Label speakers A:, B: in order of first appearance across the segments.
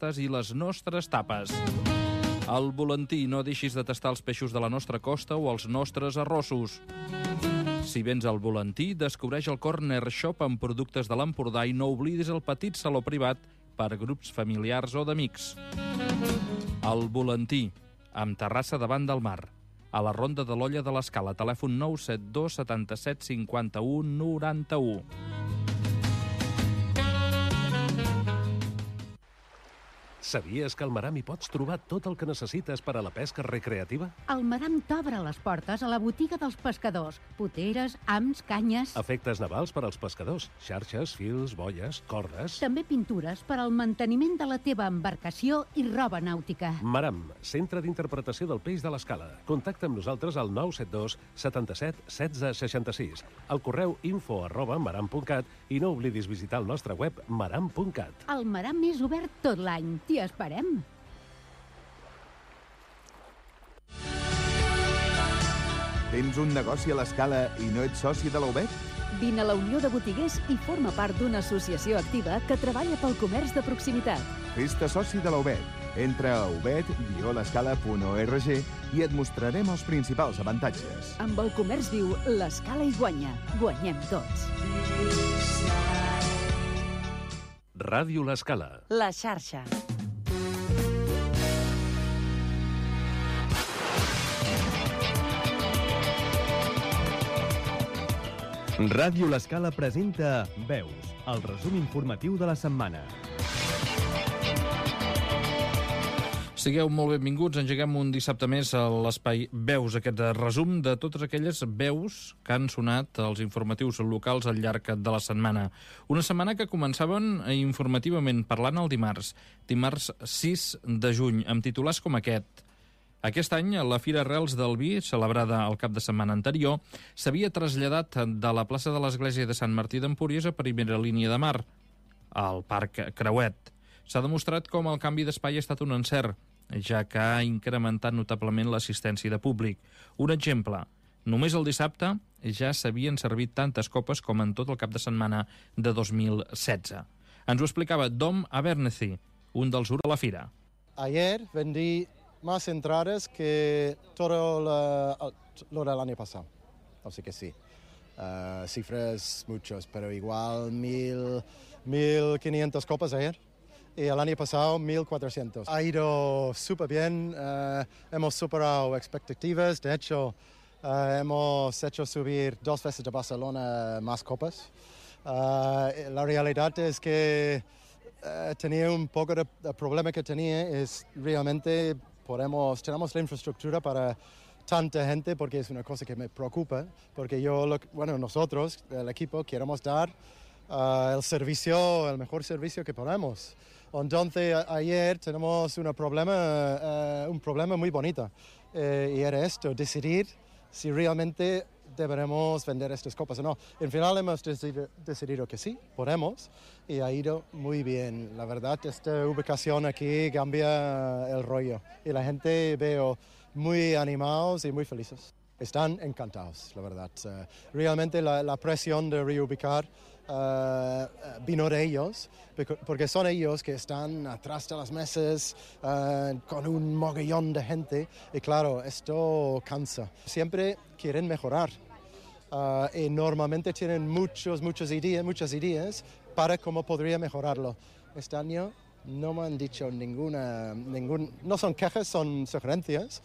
A: pastes i les nostres tapes. Al Volantí, no deixis de tastar els peixos de la nostra costa o els nostres arrossos. Si vens al Volantí, descobreix el Corner Shop amb productes de l'Empordà i no oblidis el petit saló privat per grups familiars o d'amics. Al Volantí, amb terrassa davant del mar. A la Ronda de l'Olla de l'Escala, telèfon 972 77 51 91.
B: Sabies que al Maram hi pots trobar tot el que necessites per a la pesca recreativa?
C: El Maram t'obre les portes a la botiga dels pescadors. Poteres, hams, canyes...
B: Efectes navals per als pescadors. Xarxes, fils, boies, cordes...
C: També pintures per al manteniment de la teva embarcació i roba nàutica.
B: Maram, centre d'interpretació del peix de l'Escala. Contacta amb nosaltres al 972 77 16 66. Al correu info@maram.cat i no oblidis visitar el nostre web maram.cat.
C: El Maram és obert tot l'any. T'hi esperem.
D: Tens un negoci a l'Escala i no ets soci de la UBET?
E: Vine a la Unió de Botiguers i forma part d'una associació activa que treballa pel comerç de proximitat.
D: Fes-te soci de la UBET. Entra a ubet-l'escala.org i et mostrarem els principals avantatges.
E: Amb el comerç viu, l'Escala hi guanya. Guanyem tots.
B: Ràdio l'Escala.
E: La xarxa.
F: Ràdio l'Escala presenta Veus, el resum informatiu de la setmana.
A: Sigueu molt benvinguts, engeguem un dissabte més a l'espai Veus, aquest resum de totes aquelles veus que han sonat als informatius locals al llarg de la setmana. Una setmana que començaven informativament parlant el dimarts 6 de juny, amb titulars com aquest. Aquest any, la Fira Arrels del Vi, celebrada el cap de setmana anterior, s'havia traslladat de la plaça de l'Església de Sant Martí d'Empúries a primera línia de mar, al Parc Creuet. S'ha demostrat com el canvi d'espai ha estat un encert, ja que ha incrementat notablement l'assistència de públic. Un exemple, només el dissabte ja s'havien servit tantes copes com en tot el cap de setmana de 2016. Ens ho explicava Dom Abernethy, un dels a la fira.
G: Ayer vendí más entradas que todo lo del año pasado. Así que sí. Cifras muchos, pero igual 1.500 copas ayer. Y el año pasado 1.400. Ha ido súper bien. Hemos superado expectativas. De hecho, hemos hecho subir 2 veces de Barcelona más copas. La realidad es que tenía un poco de problema que tenía. Es realmente tenemos la infraestructura para tanta gente, porque es una cosa que me preocupa, porque nosotros, el equipo, queremos dar el mejor servicio que podemos. Entonces, ayer tenemos un problema muy bonito, y era esto, decidir si realmente deberemos vender estas copas o no. En final hemos decidido que sí, podemos, y ha ido muy bien. La verdad, esta ubicación aquí cambia el rollo, y la gente veo muy animados y muy felices. Están encantados, la verdad. Realmente la presión de reubicar vino de ellos, porque son ellos que están atrás de las mesas con un mogollón de gente, y claro, esto cansa. Siempre quieren mejorar y normalmente tienen muchas ideas para cómo podría mejorarlo. Este año no me han dicho no son quejas, son sugerencias.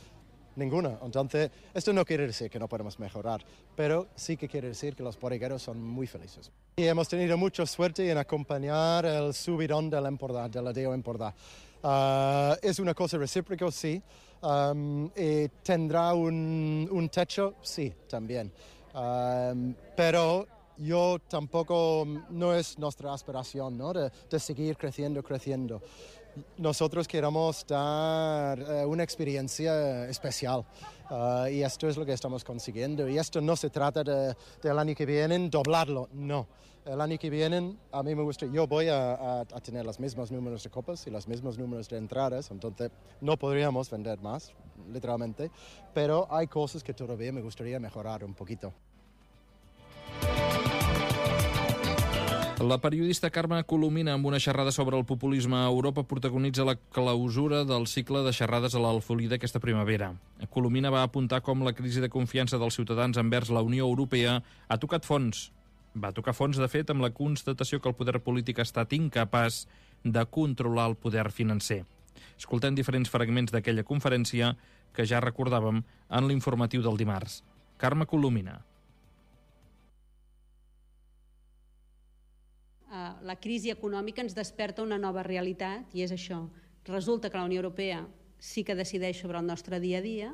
G: Ninguna. Entonces, esto no quiere decir que no podemos mejorar, pero sí que quiere decir que los bodegueros son muy felices. Y hemos tenido mucha suerte en acompañar el subidón del Empordà, del Adeo Empordà. Es una cosa recíproca, sí. Y ¿tendrá un techo? Sí, también. Pero yo tampoco, no es nuestra aspiración, ¿no? de seguir creciendo. Nosotros queremos dar una experiencia especial, y esto es lo que estamos consiguiendo. Y esto no se trata del año que viene doblarlo, no. El año que viene a mí me gusta, yo voy a tener los mismos números de copas y los mismos números de entradas, entonces no podríamos vender más, literalmente, pero hay cosas que todavía me gustaría mejorar un poquito.
A: La periodista Carme Colomina, amb una xerrada sobre el populisme a Europa, protagonitza la clausura del cicle de xerrades a l'Alfolí d'aquesta primavera. Colomina va apuntar com la crisi de confiança dels ciutadans envers la Unió Europea ha tocat fons. Va tocar fons, de fet, amb la constatació que el poder polític ha estat incapaç de controlar el poder financer. Escoltem diferents fragments d'aquella conferència que ja recordàvem en l'informatiu del dimarts. Carme Colomina.
H: La crisi econòmica ens desperta una nova realitat i és això. Resulta que la Unió Europea sí que decideix sobre el nostre dia a dia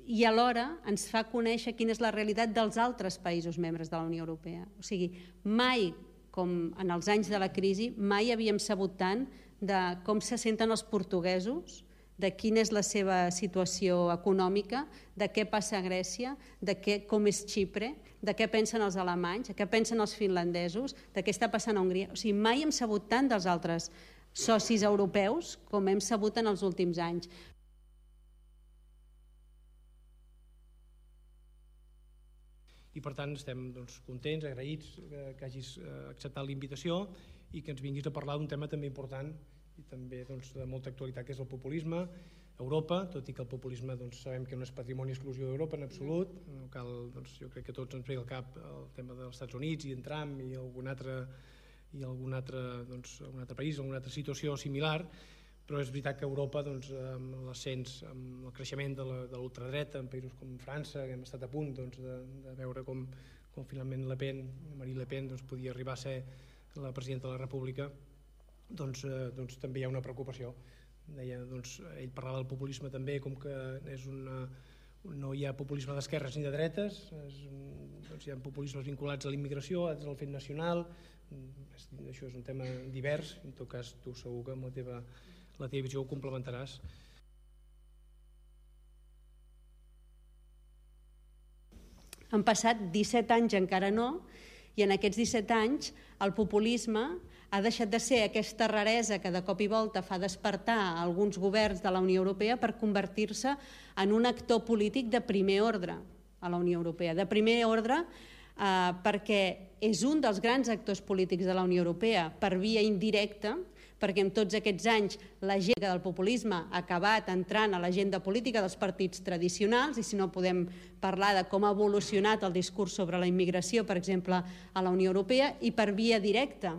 H: i alhora ens fa conèixer quina és la realitat dels altres països membres de la Unió Europea. O sigui, mai, com en els anys de la crisi, mai havíem sabut tant de com se senten els portuguesos, de quina és la seva situació econòmica, de què passa a Grècia, com és Xipre, de què pensen els alemanys, de què pensen els finlandesos, de què està passant a Hongria. O sigui, mai hem sabut tant dels altres socis europeus com hem sabut en els últims anys.
I: I per tant estem contents, agraïts que hagis acceptat la invitació i que ens vinguis a parlar d'un tema també important i també de molta actualitat, que és el populisme. Europa, tot i que el populisme sabem que no és patrimoni exclusiu d'Europa en absolut, no cal, jo crec que tots ens ve al cap el tema dels Estats Units i en Trump i algun altre país, alguna altra situació similar, però és veritat que Europa, amb l'ascens, amb el creixement de l'ultradreta en països com França, que hem estat a punt de veure com finalment Marine Le Pen podia arribar a ser la presidenta de la República, també hi ha una preocupació. Ell parlava del populisme també com que no hi ha populisme d'esquerres ni de dretes, hi ha populismes vinculats a la immigració, altres al fet nacional. Això és un tema divers, en tot cas tu segur que amb la teva visió ho complementaràs.
H: Han passat 17 anys, encara no, i en aquests 17 anys el populisme ha deixat de ser aquesta raresa que de cop i volta fa despertar alguns governs de la Unió Europea per convertir-se en un actor polític de primer ordre a la Unió Europea. De primer ordre perquè és un dels grans actors polítics de la Unió Europea per via indirecta, perquè en tots aquests anys l'agenda del populisme ha acabat entrant a l'agenda política dels partits tradicionals, i si no podem parlar de com ha evolucionat el discurs sobre la immigració, per exemple, a la Unió Europea, i per via directa,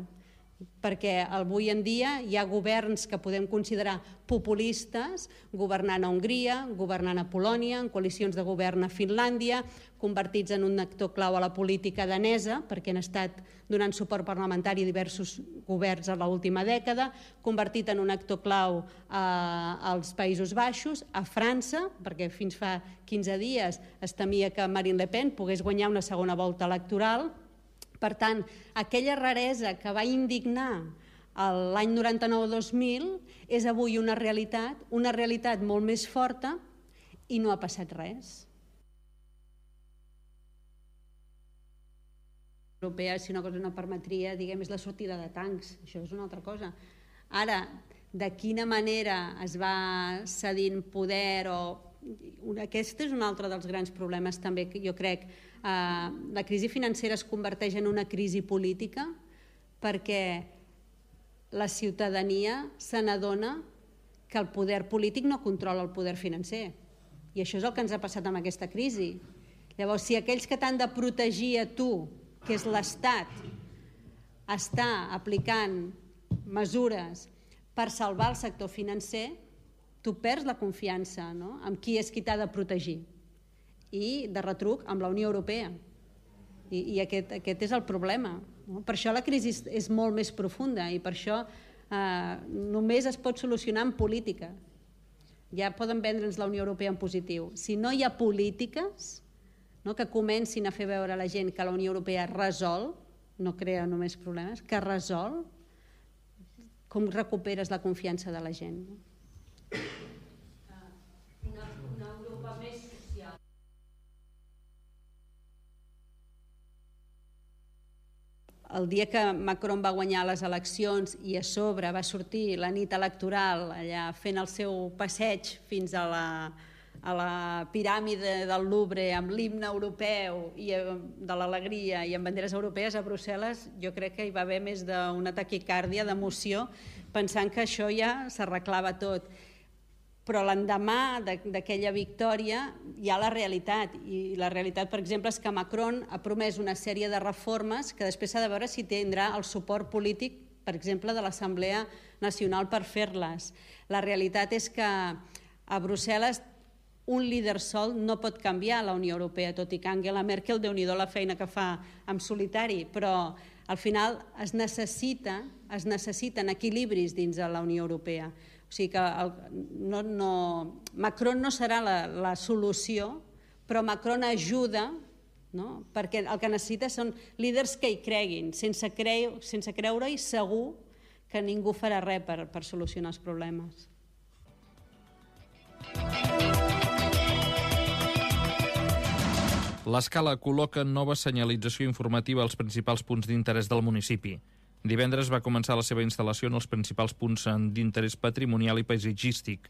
H: perquè avui en dia hi ha governs que podem considerar populistes governant a Hongria, governant a Polònia, en coalicions de govern a Finlàndia, convertits en un actor clau a la política danesa, perquè han estat donant suport parlamentari a diversos governs a l'última dècada, convertit en un actor clau als Països Baixos, a França, perquè fins fa 15 dies es temia que Marine Le Pen pogués guanyar una segona volta electoral. Per tant, aquella raresa que va indignar l'any 99-2000 és avui una realitat molt més forta i no ha passat res. Europea, si una cosa no permetria, diguem, és la sortida de tancs, això és una altra cosa. Ara, de quina manera es va cedint poder o... Aquest és un altre dels grans problemes també que jo crec. La crisi financera es converteix en una crisi política perquè la ciutadania se n'adona que el poder polític no controla el poder financer. I això és el que ens ha passat amb aquesta crisi. Llavors, si aquells que t'han de protegir a tu, que és l'Estat, està aplicant mesures per salvar el sector financer, tu perds la confiança en qui és qui t'ha de protegir. I, de retruc, amb la Unió Europea. I aquest és el problema. Per això la crisi és molt més profunda i per això només es pot solucionar en política. Ja poden vendre'ns la Unió Europea en positiu. Si no hi ha polítiques que comencin a fer veure a la gent que la Unió Europea resol, no crea només problemes, que resol, com recuperes la confiança de la gent?
J: Una Europa més social.
H: El dia que Macron va guanyar les eleccions i a sobre va sortir la nit electoral allà fent el seu passeig fins a a la piràmide del Louvre amb l'himne europeu i de l'alegria i amb banderes europees a Brussel·les, jo crec que hi va haver més d'una taquicàrdia d'emoció pensant que això ja s'arreglava tot. Però l'endemà d'aquella victòria hi ha la realitat, i la realitat, per exemple, és que Macron ha promès una sèrie de reformes que després s'ha de veure si tindrà el suport polític, per exemple, de l'Assemblea Nacional per fer-les. La realitat és que a Brussel·les un líder sol no pot canviar la Unió Europea, tot i que Angela Merkel, Déu-n'hi-do la feina que fa en solitari, però al final es necessiten equilibris dins de la Unió Europea. O sigui que Macron no serà la solució, però Macron ajuda, perquè el que necessita són líders que hi creguin. Sense creure-hi segur que ningú farà res per solucionar els problemes.
A: L'Escala col·loca nova senyalització informativa als principals punts d'interès del municipi. Divendres va començar la seva instal·lació en els principals punts d'interès patrimonial i paisatgístic.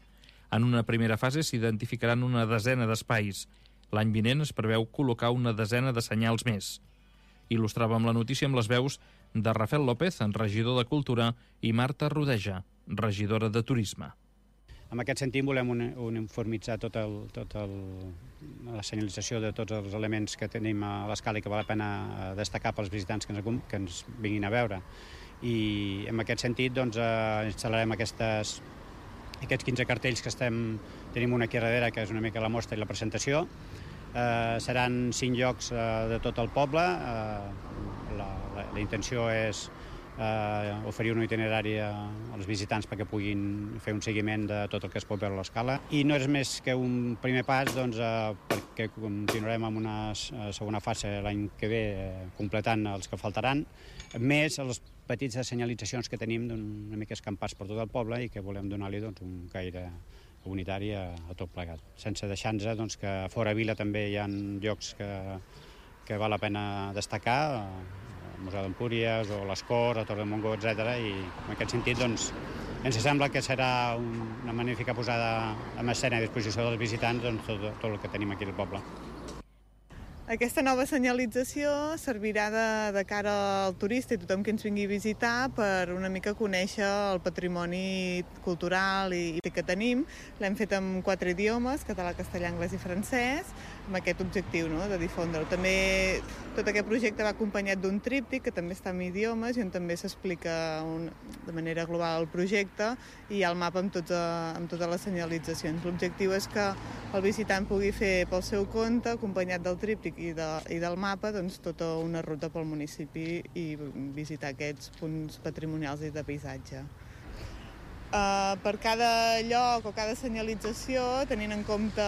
A: En una primera fase s'identificaran una desena d'espais. L'any vinent es preveu col·locar una desena de senyals més. Il·lustràvem la notícia amb les veus de Rafael López, regidor de Cultura, i Marta Rodeja, regidora de Turisme.
K: En aquest sentit volem uniformitzar tota la senyalització de tots els elements que tenim a l'Escala i que val la pena destacar pels visitants que ens vinguin a veure. I en aquest sentit instal·larem aquests 15 cartells que tenim una aquí darrere, que és una mica la mostra i la presentació. Seran 5 llocs de tot el poble. La intenció és oferir un itinerari als visitants perquè puguin fer un seguiment de tot el que es pot veure a l'Escala. I no és més que un primer pas perquè continuarem amb una segona fase l'any que ve completant els que faltaran, més les petites senyalitzacions que tenim una mica escampats per tot el poble i que volem donar-li un caire unitari a tot plegat. Sense deixar-nos que fora Vila també hi ha llocs que val la pena destacar, el Museu d'Empúries o les Corts, a Torre de Montgó, etc. I en aquest sentit ens sembla que serà una magnífica posada en escena a disposició dels visitants tot el que tenim aquí al poble.
L: Aquesta nova senyalització servirà de cara al turista i tothom que ens vingui a visitar per una mica conèixer el patrimoni cultural i que tenim. L'hem fet en 4 idiomes, català, castellà, anglès i francès, amb aquest objectiu de difondre-ho. També tot aquest projecte va acompanyat d'un tríptic que també està en idiomes i on també s'explica de manera global el projecte i hi ha el mapa amb totes les senyalitzacions. L'objectiu és que el visitant pugui fer pel seu compte, acompanyat del tríptic i del mapa, tota una ruta pel municipi i visitar aquests punts patrimonials i de paisatge. Per cada lloc o cada senyalització, tenint en compte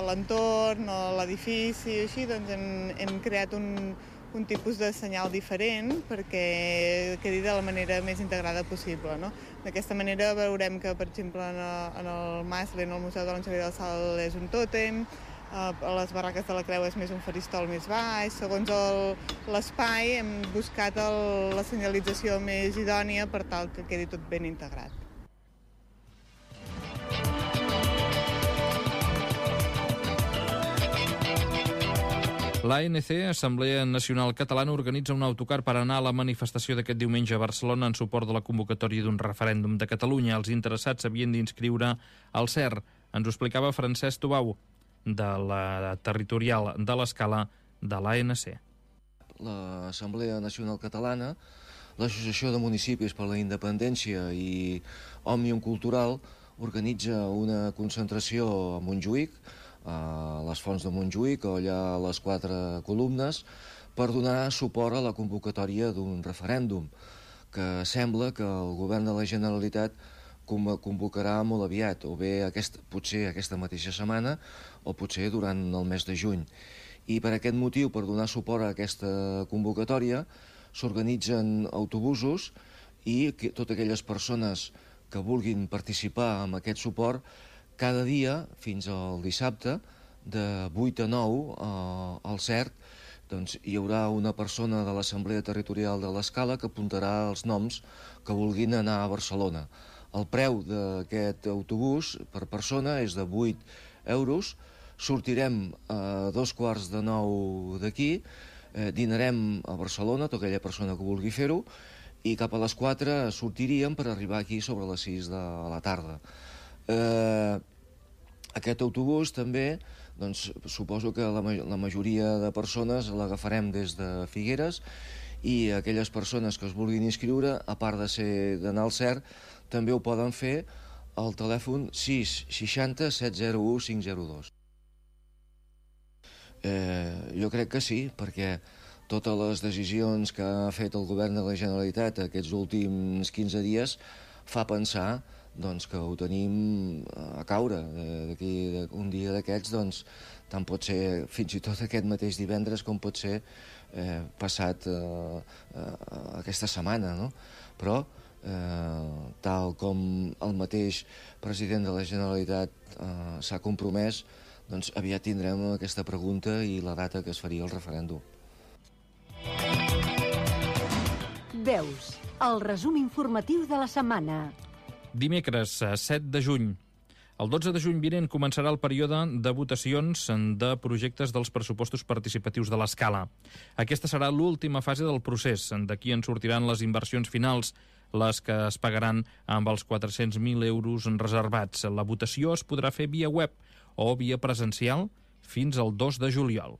L: l'entorn o l'edifici i així, hem creat un tipus de senyal diferent perquè quedi de la manera més integrada possible. D'aquesta manera veurem que, per exemple, en el Maslen, el Museu de l'Anxavier del Sal, és un tòtem, a les barraques de la Creu és més un faristol més baix. Segons l'espai hem buscat la senyalització més idònia per tal que quedi tot ben integrat.
A: L'ANC, Assemblea Nacional Catalana, organitza un autocar per anar a la manifestació d'aquest diumenge a Barcelona en suport de la convocatòria d'un referèndum de Catalunya. Els interessats s'havien d'inscriure al CER. Ens ho explicava Francesc Tubau, de la territorial de l'Escala de l'ANC.
M: L'Assemblea Nacional Catalana, l'Associació de Municipis per la Independència i Òmnium Cultural organitza una concentració a Montjuïc, a les Fonts de Montjuïc, o allà a les 4 columnes, per donar suport a la convocatòria d'un referèndum que sembla que el govern de la Generalitat convocarà molt aviat, o bé potser aquesta mateixa setmana o potser durant el mes de juny. I per aquest motiu, per donar suport a aquesta convocatòria, s'organitzen autobusos i totes aquelles persones que vulguin participar en aquest suport, cada dia, fins al dissabte, de 8 a 9 al CERT, hi haurà una persona de l'Assemblea Territorial de l'Escala que apuntarà els noms que vulguin anar a Barcelona. El preu d'aquest autobús per persona és de 8 euros. Sortirem a 8:45 d'aquí, dinarem a Barcelona, tota aquella persona que vulgui fer-ho, i cap a les 4 sortiríem per arribar aquí sobre les 6 de la tarda. Aquest autobús també, doncs, suposo que la majoria de persones l'agafarem des de Figueres, i aquelles persones que es vulguin inscriure, a part d'anar al CERT, també ho poden fer al telèfon 660 701 502. Jo crec que sí, perquè totes les decisions que ha fet el govern de la Generalitat aquests últims 15 dies fa pensar que ho tenim a caure. D'aquí un dia d'aquests, doncs, tant pot ser fins i tot aquest mateix divendres com pot ser passat aquesta setmana, no? Però, tal com el mateix president de la Generalitat s'ha compromès, doncs aviat tindrem aquesta pregunta i la data que es faria el referèndum.
C: Veus, el resum informatiu de la setmana.
A: Dimecres, 7 de juny. El 12 de juny vinent començarà el període de votacions de projectes dels pressupostos participatius de l'Escala. Aquesta serà l'última fase del procés. D'aquí en sortiran les inversions finals, les que es pagaran amb els 400.000 euros reservats. La votació es podrà fer via web o via presencial fins al 2 de juliol.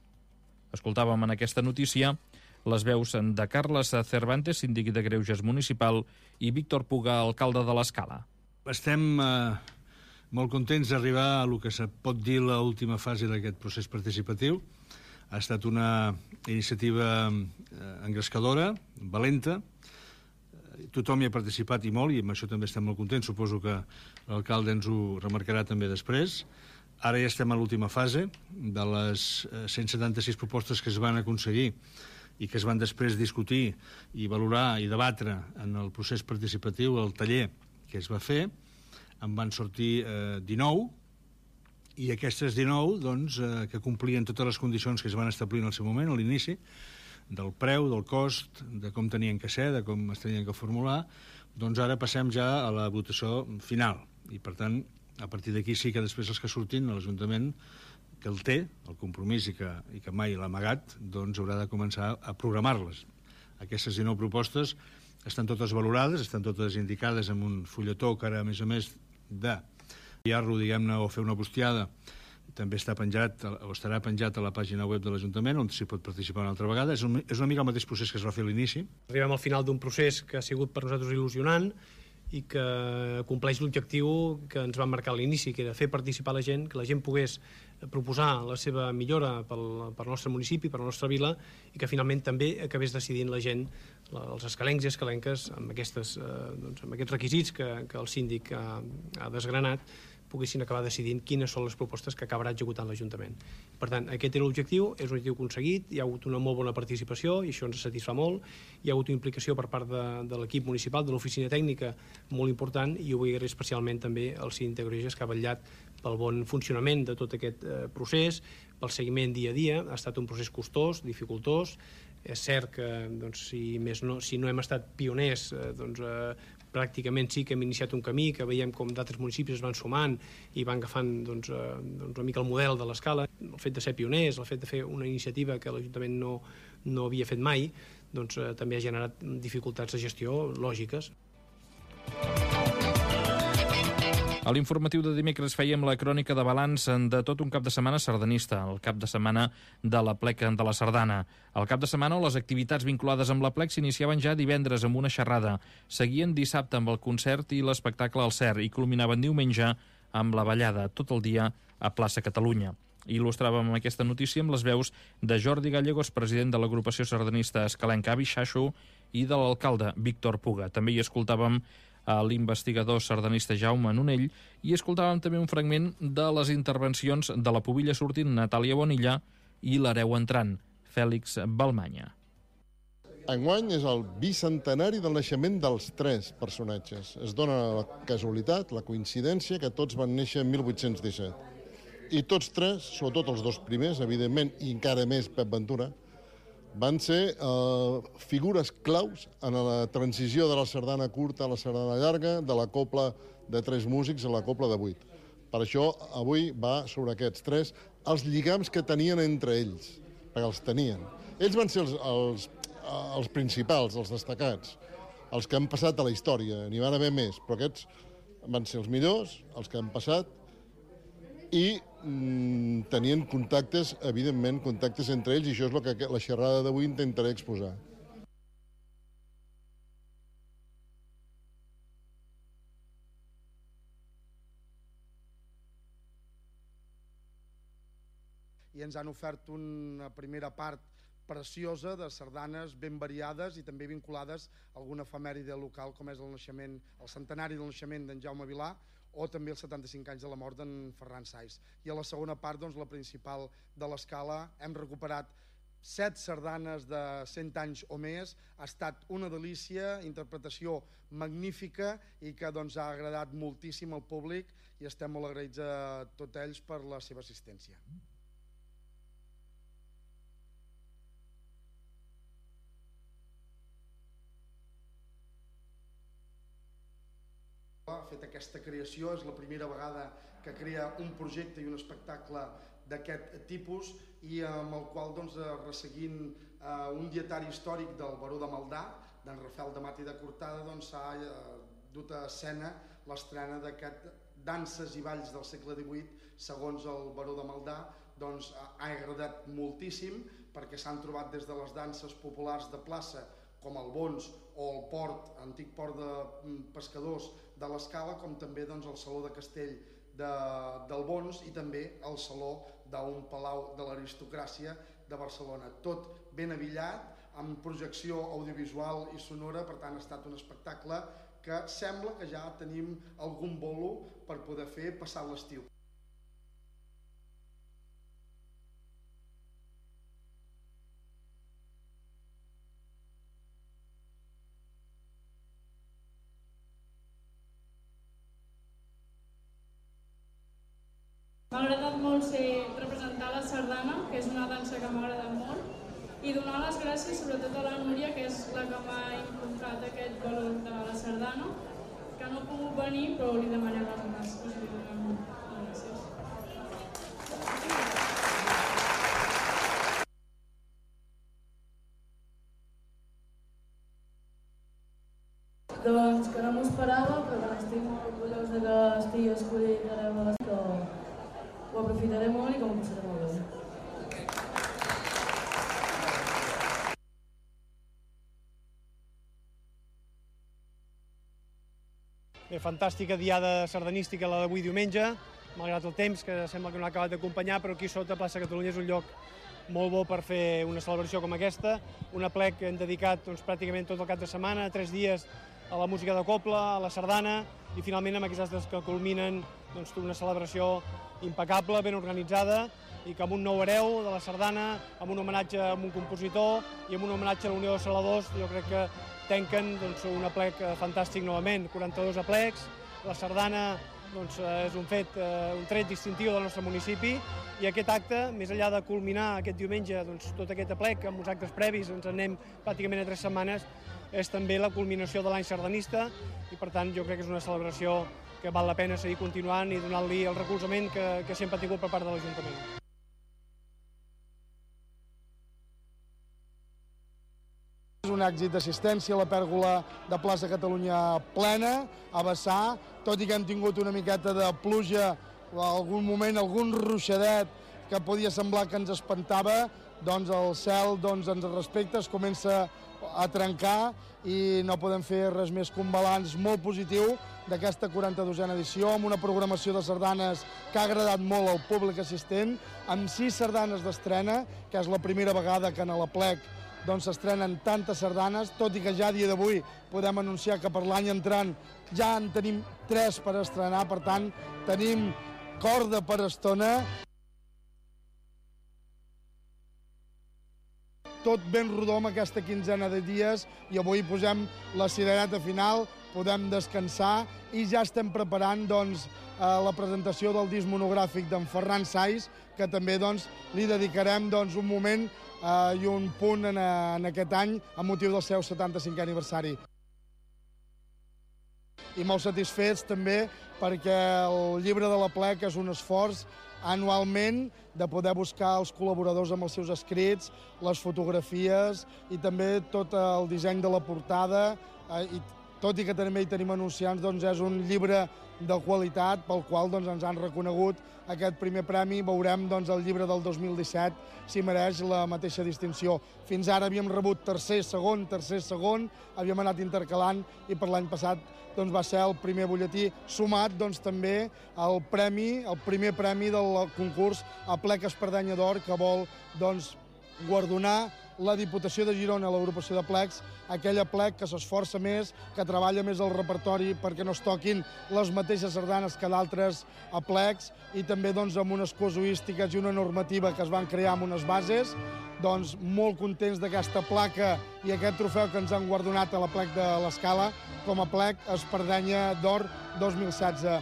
A: Escoltàvem en aquesta notícia les veus de Carles Cervantes, síndic de Greuges municipal, i Víctor Puga, alcalde de l'Escala.
N: Estem molt contents d'arribar a el que se pot dir l'última fase d'aquest procés participatiu. Ha estat una iniciativa engrescadora, valenta. Tothom hi ha participat i molt, i amb això també estem molt contents. Suposo que l'alcalde ens ho remarcarà també després. Ara ja estem a l'última fase de les 176 propostes que es van aconseguir i que es van després discutir i valorar i debatre en el procés participatiu, el taller que es va fer. En van sortir 19, i aquestes 19 doncs, que complien totes les condicions que es van establir en el seu moment, a l'inici, del preu, del cost, de com tenien que ser, de com es tenien que formular, doncs ara passem ja a la votació final. I, per tant, a partir d'aquí sí que després els que surtin a l'Ajuntament, que el té, el compromís i que mai l'ha amagat, doncs haurà de començar a programar-les. Aquestes 19 propostes estan totes valorades, estan totes indicades en un fulletó que ara, a més, d'enviar-lo, diguem-ne, o fer una bustiada, també està penjat, o estarà penjat a la pàgina web de l'Ajuntament, on s'hi pot participar una altra vegada. És una mica el mateix procés que es va fer a l'inici.
I: Arribem al final d'un procés que ha sigut per nosaltres il·lusionant i que compleix l'objectiu que ens va marcar a l'inici, que era fer participar la gent, que la gent pogués proposar la seva millora pel nostre municipi, per la nostra vila, i que finalment també acabés decidint la gent, els escalencs i escalenques, amb aquests requisits que el síndic ha desgranat, poguessin acabar decidint quines són les propostes que acabarà executant l'Ajuntament. Per tant, aquest era l'objectiu, és un objectiu aconseguit, hi ha hagut una molt bona participació i això ens satisfà molt, hi ha hagut una implicació per part de l'equip municipal, de l'oficina tècnica, molt important, i ho vull agrair especialment també al síndic de Greuges, que ha vetllat pel bon funcionament de tot aquest procés, pel seguiment dia a dia. Ha estat un procés costós, dificultós. És cert que si no hem estat pioners, pràcticament sí que hem iniciat un camí, que veiem com d'altres municipis es van sumant i van agafant una mica el model de l'Escala. El fet de ser pioners, el fet de fer una iniciativa que l'Ajuntament no havia fet mai, també ha generat dificultats de gestió lògiques.
A: A l'informatiu de dimecres fèiem la crònica de balanç de tot un cap de setmana sardanista, el cap de setmana de la Plec de la Sardana. El cap de setmana on les activitats vinculades amb la Plec s'iniciaven ja divendres amb una xerrada, seguien dissabte amb el concert i l'espectacle al CERT i culminaven diumenge amb la ballada tot el dia a Plaça Catalunya. Il·lustràvem aquesta notícia amb les veus de Jordi Gallegos, president de l'agrupació sardanista escalenca Avi Xaixo, i de l'alcalde Víctor Puga. També hi escoltàvem a l'investigador sardanista Jaume Nonell i escoltàvem també un fragment de les intervencions de la pubilla sortint Natàlia Bonilla i l'hereu entrant, Fèlix Balmanya.
O: Enguany és el bicentenari del naixement dels tres personatges. Es dona la casualitat, la coincidència, que tots van néixer en 1817. I tots tres, sobretot els dos primers, evidentment, i encara més Pep Ventura, van ser figures claus en la transició de la sardana curta a la sardana llarga, de la cobla de 3 músics a la cobla de 8. Per això avui va sobre aquests tres, els lligams que tenien entre ells, perquè els tenien. Ells van ser els principals, els destacats, els que han passat a la història, n'hi van haver més, però aquests van ser els millors, els que han passat, i tenien contactes, evidentment, contactes entre ells, i això és el que la xerrada d'avui intentaré exposar.
P: I ens han ofert una primera part preciosa de sardanes ben variades i també vinculades a alguna efemèride local, com és el centenari del naixement d'en Jaume Vilà o també els 75 anys de la mort d'en Ferran Sais. I a la segona part, doncs, la principal de l'escala, hem recuperat 7 sardanes de 100 anys o més. Ha estat una delícia, interpretació magnífica i que doncs, ha agradat moltíssim al públic i estem molt agraïts a tots ells per la seva assistència. Ha fet aquesta creació, és la primera vegada que crea un projecte i un espectacle d'aquest tipus i amb el qual, doncs, resseguint un dietari històric del baró de Maldà, d'en Rafael de Mata i de Cortada, doncs s'ha dut a escena l'estrena d'aquest Danses i balls del segle XVIII segons el baró de Maldà. Doncs ha agradat moltíssim perquè s'han trobat des de les danses populars de plaça com el Bons o el port, antic port de pescadors de l'Escala, com també doncs, el Saló de Castell del Bons i també el Saló d'un palau de l'aristocràcia de Barcelona. Tot ben abillat, amb projecció audiovisual i sonora, per tant ha estat un espectacle que sembla que ja tenim algun bolo per poder fer passat l'estiu.
Q: M'ha agradat molt representar la sardana, que és una dansa que m'ha agradat molt, i donar les gràcies sobretot a la Núria, que és la que m'ha inculcat aquest valor de la sardana, que no ha pogut venir, però li demanem les gràcies.
R: Doncs que no m'ho esperava, però estic molt orgullós que estigui escollit a l'escola. Ho aprofitaré molt i que m'ho passaré molt bé.
S: Bé, fantàstica diada sardanística la d'avui diumenge, malgrat el temps, que sembla que no ha acabat d'acompanyar, però aquí sota Plaça Catalunya és un lloc molt bo per fer una celebració com aquesta, un aplec que hem dedicat pràcticament tot el cap de setmana, 3 dies a la música de cobla, a la sardana, i finalment amb aquestes dates que culminen una celebració impecable, ben organitzada, i que amb un nou hereu de la sardana, amb un homenatge a un compositor i amb un homenatge a la Unió de Saladors, jo crec que tanquen un aplec fantàstic novament, 42 aplecs. La sardana és un tret distintiu del nostre municipi, i aquest acte, més enllà de culminar aquest diumenge tot aquest aplec, amb uns actes previs, ens en anem pràcticament a 3 setmanes, és també la culminació de l'any sardanista, i per tant jo crec que és una celebració que val la pena seguir continuant i donant-li el recolzament que sempre ha tingut per part de l'Ajuntament.
P: És un èxit d'assistència, la pèrgola de Plaça Catalunya plena, a vessar, tot i que hem tingut una miqueta de pluja, algun moment, algun ruixadet que podia semblar que ens espantava, doncs el cel ens respecta, es comença a trencar i no podem fer res més que un balanç molt positiu d'aquesta 42a edició, amb una programació de sardanes que ha agradat molt al públic assistent, amb 6 sardanes d'estrena, que és la primera vegada que en l'Aplec s'estrenen tantes sardanes, tot i que ja a dia d'avui podem anunciar que per l'any entrant ja en tenim 3 per estrenar, per tant tenim corda per estona. Tot ben rodó amb aquesta quinzena de dies i avui posem la cirereta final, podem descansar i ja estem preparant la presentació del disc monogràfic d'en Ferran Sais, que també li dedicarem un moment i un punt en aquest any amb motiu del seu 75è aniversari. i molt satisfets també perquè el llibre de l'Aplec és un esforç anualment de poder buscar els col·laboradors amb els seus escrits, les fotografies i també tot el disseny de la portada, i tot i que també hi tenim anunciants, doncs és un llibre de qualitat pel qual doncs, ens han reconegut aquest primer premi. Veurem doncs, el llibre del 2017 si mereix la mateixa distinció. Fins ara havíem rebut tercer, segon, havíem anat intercalant i per l'any passat doncs, va ser el primer butlletí, sumat doncs, també el primer premi del concurs Aplec Espardenya d'Or, que vol doncs, guardonar la Diputació de Girona, l'agrupació de plecs, aquell aplec que s'esforça més, que treballa més el repertori perquè no es toquin les mateixes sardanes que d'altres aplecs, i també doncs, amb unes casuístiques i una normativa que es van crear amb unes bases, doncs molt contents d'aquesta placa i aquest trofeu que ens han guardonat a l'Aplec de l'Escala com a Aplec Espardenya d'Or 2016.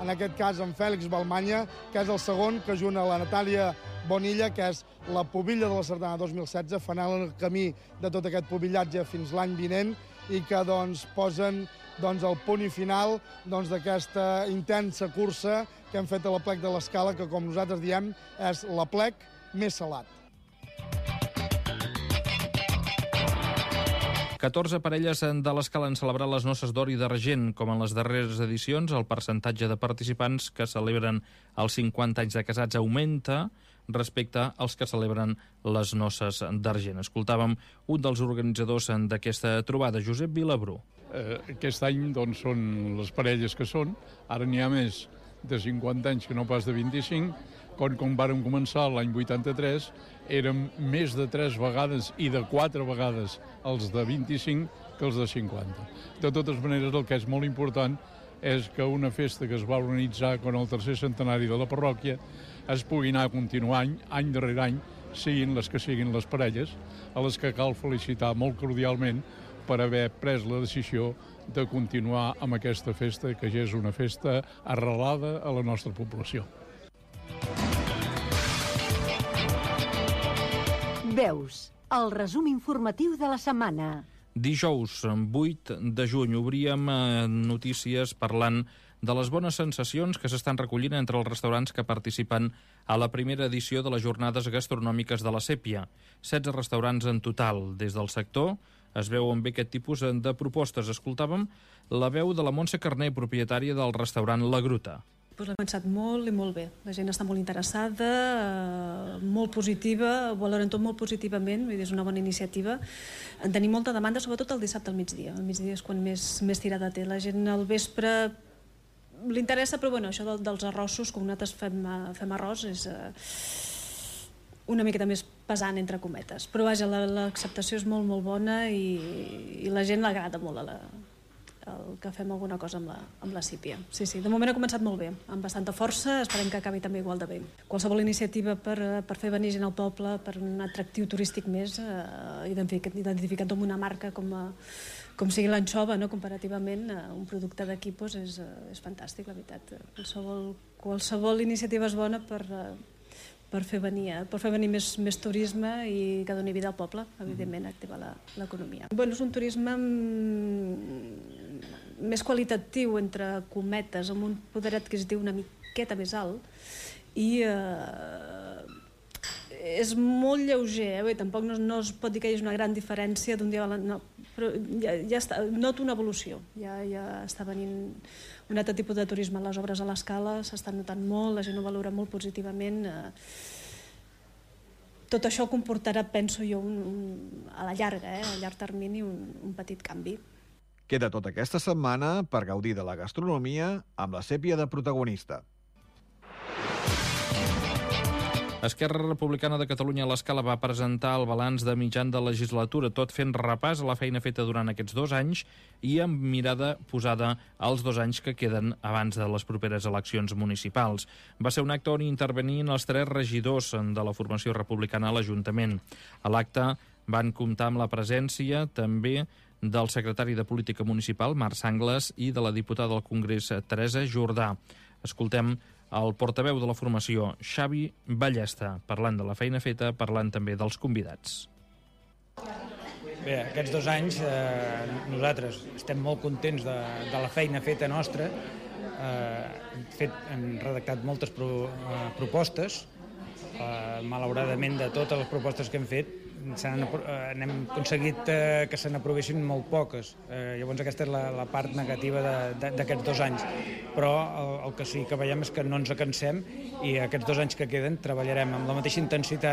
P: En aquest cas, en Fèlix Balmanya, que és el segon, que ajuna la Natàlia Bonilla, que és la pubilla de la sardana 2016, fan el camí de tot aquest pubillatge fins l'any vinent i que doncs, posen doncs, el punt i final d'aquesta intensa cursa que hem fet a l'Aplec de l'Escala, que, com nosaltres diem, és l'Aplec més salat.
A: 14 parelles de l'Escala han celebrat les noces d'or i d'argent. Com en les darreres edicions, el percentatge de participants que celebren els 50 anys de casats augmenta respecte als que celebren les noces d'argent. Escoltàvem un dels organitzadors d'aquesta trobada, Josep Vilabrú.
T: Aquest any doncs, són les parelles que són. Ara n'hi ha més de 50 anys que no pas de 25. Com vàrem començar l'any 83, érem més de 3 vegades i de 4 vegades els de 25 que els de 50. De totes maneres, el que és molt important és que una festa que es va organitzar con el tercer centenari de la parròquia es pugui anar continuant any darrere any, siguin les que siguin les parelles, a les que cal felicitar molt cordialment per haver pres la decisió de continuar amb aquesta festa, que ja és una festa arrelada a la nostra població.
U: Veus, el resum informatiu de la setmana.
A: Dijous, 8 de juny, obríem notícies parlant de les bones sensacions que s'estan recollint entre els restaurants que participen a la primera edició de les jornades gastronòmiques de la Sèpia. 16 restaurants en total. Des del sector es veuen bé aquest tipus de propostes. Escoltàvem la veu de la Montse Carné, propietària del restaurant La Gruta.
V: L'ha pensat molt i molt bé. La gent està molt interessada, molt positiva, valoren tot molt positivament, vull dir, és una bona iniciativa. En tenim molta demanda, sobretot el dissabte al migdia. El migdia és quan més tirada té. La gent al vespre li interessa, però bueno, això dels arrossos, com nosaltres fem arròs, és una miqueta més pesant, entre cometes. Però vaja, l'acceptació és molt, molt bona i la gent l'agrada molt el que fem alguna cosa amb la Sípia. Sí, de moment ha començat molt bé, amb bastanta força, esperem que acabi també igual de bé. Qualsevol iniciativa per fer venir gent al poble, per un atractiu turístic més, identificat amb una marca com sigui l'anxova, no? Comparativament, un producte d'aquí és fantàstic, la veritat. Qualsevol iniciativa és bona per fer venir més turisme i que doni vida al poble, evidentment, activar l'economia. És un turisme més qualitatiu, entre cometes, amb un poder adquisitiu una miqueta més alt, i és molt lleuger, tampoc no es pot dir que hi hagi una gran diferència d'un dia a l'altre, però ja està, noto una evolució, ja està venint un altre tipus de turisme. Les obres a l'Escala s'estan notant molt, la gent ho valora molt positivament. Tot això comportarà, penso jo, a la llarga, a llarg termini, un petit canvi.
W: Queda tota aquesta setmana per gaudir de la gastronomia amb la Sèpia de protagonista.
A: Esquerra Republicana de Catalunya a l'Escala va presentar el balanç de mitjan de legislatura, tot fent repàs a la feina feta durant aquests 2 anys i amb mirada posada als 2 anys que queden abans de les properes eleccions municipals. Va ser un acte on intervenien els 3 regidors de la formació republicana a l'Ajuntament. A l'acte van comptar amb la presència també del secretari de Política Municipal, Marc Sangles, i de la diputada del Congrés, Teresa Jordà. Escoltem el portaveu de la formació, Xavi Ballesta, parlant de la feina feta, parlant també dels convidats.
B: Bé, aquests 2 anys nosaltres estem molt contents de la feina feta nostra. Hem redactat moltes propostes. Malauradament, de totes les propostes que hem fet, n'hem aconseguit que se n'aprovessin molt poques. Llavors aquesta és la part negativa d'aquests 2 anys. Però el que sí que veiem és que no ens cansem i aquests 2 anys que queden treballarem amb la mateixa intensitat